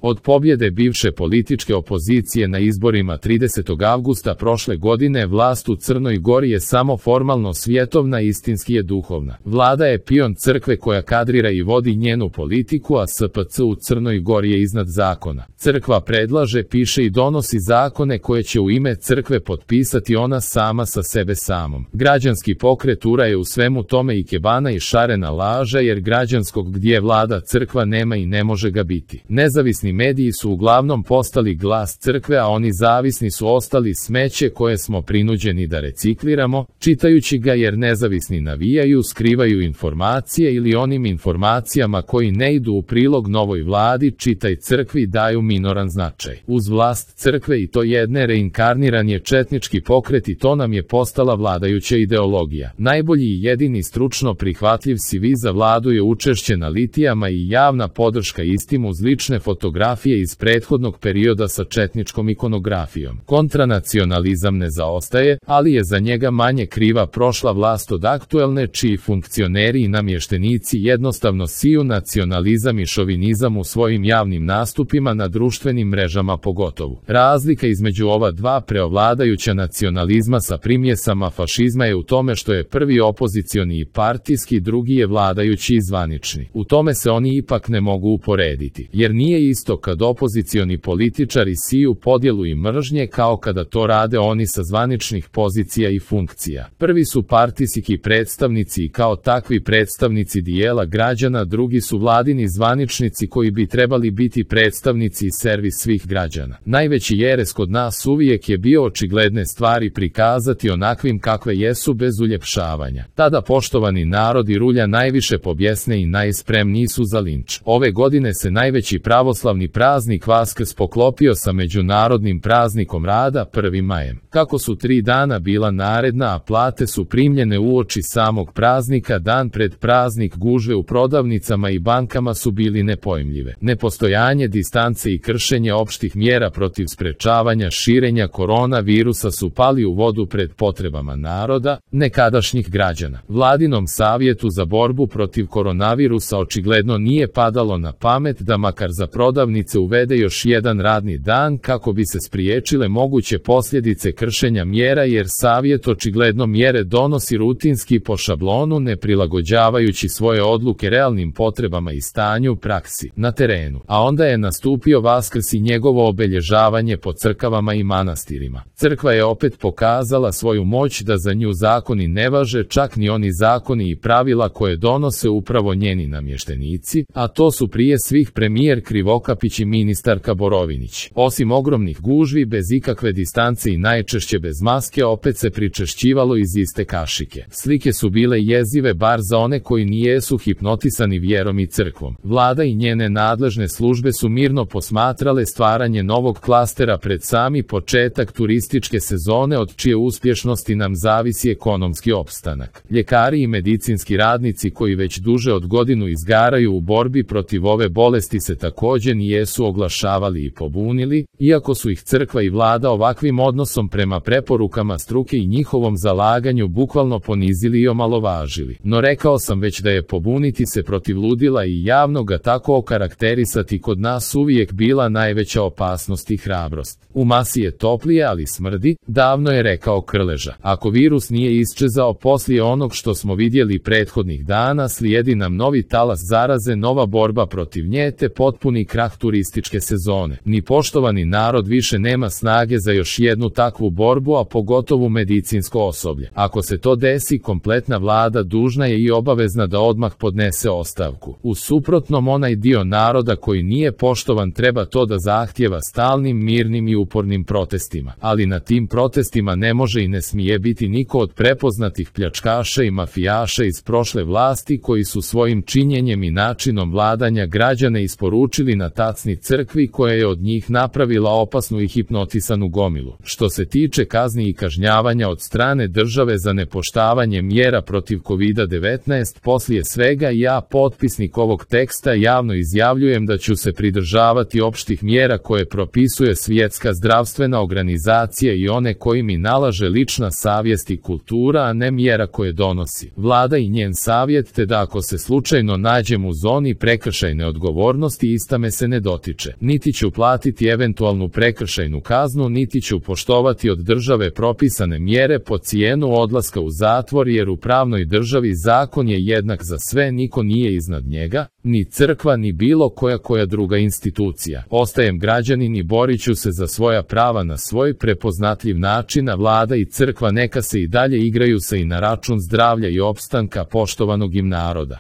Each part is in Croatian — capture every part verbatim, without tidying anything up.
Od pobjede bivše političke opozicije na izborima tridesetog avgusta prošle godine vlast u Crnoj Gori je samo formalno svjetovna, istinski je duhovna. Vlada je pion crkve koja kadrira i vodi njenu politiku, a S P C u Crnoj Gori je iznad zakona. Crkva predlaže, piše i donosi zakone koje će u ime crkve potpisati ona sama sa sebe samom. Građanski pokret U R A je u svemu tome ikebana i šarena laža, jer građanskog gdje vlada crkva nema i ne može ga biti. Nezavisni mediji su uglavnom postali glas crkve, a oni zavisni su ostali smeće koje smo prinuđeni da recikliramo, čitajući ga, jer nezavisni navijaju, skrivaju informacije ili onim informacijama koji ne idu u prilog novoj vladi, čitaj crkvi, daju minoran značaj. Uz vlast crkve i to jedne reinkarniran je četnički pokret i to nam je postala vladajuća ideologija. Najbolji i jedini stručno prihvatljiv C V za vladu je učešće na litijama i javna podrška istim uz lične fotografije iz prethodnog perioda sa četničkom ikonografijom. Kontranacionalizam ne zaostaje, ali je za njega manje kriva prošla vlast od aktuelne, čiji funkcioneri i namještenici jednostavno siju nacionalizam i šovinizam u svojim javnim nastupima na društvenim mrežama pogotovo. Razlika između ova dva preovladajuća nacionalizma sa primjesama fašizma je u tome što je prvi opozicioni i partijski, drugi je vladajući i zvanični. U tome se oni ipak ne mogu uporediti, jer nije isto kad opozicioni političari siju podjelu i mržnje kao kada to rade oni sa zvaničnih pozicija i funkcija. Prvi su partijski predstavnici i kao takvi predstavnici dijela građana, drugi su vladini zvaničnici koji bi trebali biti predstavnici i servis svih građana. Najveći jeres kod nas uvijek je bio očigledne stvari prikazati onakvim kakve jesu bez uljepšavanja. Tada poštovani narod i rulja najviše pobjesne i najspremniji su za linč. Ove godine se najveći pravoslavni praznik Vaskrs poklopio sa međunarodnim praznikom rada prvim majem. Kako su tri dana bila naredna, a plate su primljene uoči samog praznika, dan pred praznik gužve u prodavnicama i bankama su bili nepojmljive. Nepostojanje distance i kršenje opštih mjera protiv sprečavanja širenja koronavirusa su pali u vodu pred potrebama naroda, nekadašnjih građana. Vladinom savjetu za borbu protiv koronavirusa očigledno nije padalo na pamet da makar za prodavnice uvede još jedan radni dan kako bi se spriječile moguće posljedice kršenja mjera, jer savjet očigledno mjere donosi rutinski po šablonu, ne prilagođavajući svoje odluke realnim potrebama i stanju u praksi, na terenu. A onda je nastupio Vaskrs i njegovo obilježavanje po crkvama i manastirima. Crkva je opet pokazala svoju moć da za nju zakoni ne važe, čak ni oni zakoni i pravila koje donose upravo njeni namještenici, a to su prije svih premijer Krivokapić i ministarka Borovinić. Osim ogromnih gužvi bez ikakve distance i najčešće bez maske, opet se pričešćivalo iz iste kašike. Slike su bile jezive bar za one koji nijesu hipnotisani vjerom i crkvom. Vlada i njene nadležne službe su mirno posmatrale stvaranje novog klastera pred sami početak turističke sezone, od čije uspješnosti nam zavisi ekonomski opstanak. Ljekari i medicinski radnici koji već duže od godinu izgaraju u borbi protiv ove bolesti se također nijesu oglašavali i pobunili, iako su ih crkva i vlada ovakvim odnosom prema preporukama struke i njihovom zalaganju bukvalno ponizili i omalovažili. No rekao sam već da je pobuniti se protiv ludila i javno ga tako okarakterisati kod nas uvijek bila najveća opasnost i hrabrost. U masi je toplije, ali smrdi, davno je rekao Krleža. Ako virus nije isčezao poslije onog što smo vidjeli prethodnih dana, slijedi nam novi talas zaraze, nova borba protiv nje te potpuni krah turističke sezone. Ni poštovani narod više nema snage za još jednu takvu borbu, a pogotovo medicinsko osoblje. Ako se to desi, kompletna vlada dužna je i obavezna da odmah podnese ostavku. U suprotnom, onaj dio naroda koji nije poštovan treba to da zahtjeva stalnim, mirnim i upornim protestima. Ali na tim protestima ne može i ne smije biti niko od prepoznatih pljačkaša i mafijaša iz prošle vlasti koji su svojim činjenjem i načinom vladanja građane isporučili na tacni crkvi koja je od njih napravila opasnu i hipnotisanu gomilu. Što se tiče kazni i kažnjavanja od strane države za nepoštavanje mjera protiv kovida devetnaest, poslije svega ja, potpisnik ovog teksta, javno izjavljujem da ću se pridržavati opštih mjera koje propisuje Svjetska zdravstvena organizacija i one koji mi nalaže lična savjest i kultura, a ne mjera koje donosi vlada i njen savjet, te da ako se slučajno nađem u zoni prekršajne odgovornosti, ista me se se ne dotiče. Niti ću platiti eventualnu prekršajnu kaznu, niti ću poštovati od države propisane mjere po cijenu odlaska u zatvor, jer u pravnoj državi zakon je jednak za sve, niko nije iznad njega, ni crkva ni bilo koja koja druga institucija. Ostajem građanin i borit ću se za svoja prava na svoj prepoznatljiv način, a vlada i crkva neka se i dalje igraju se i na račun zdravlja i opstanka poštovanog im naroda.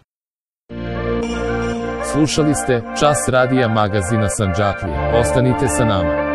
Slušali ste Čas radija magazina Sandžaklija. Ostanite sa nama.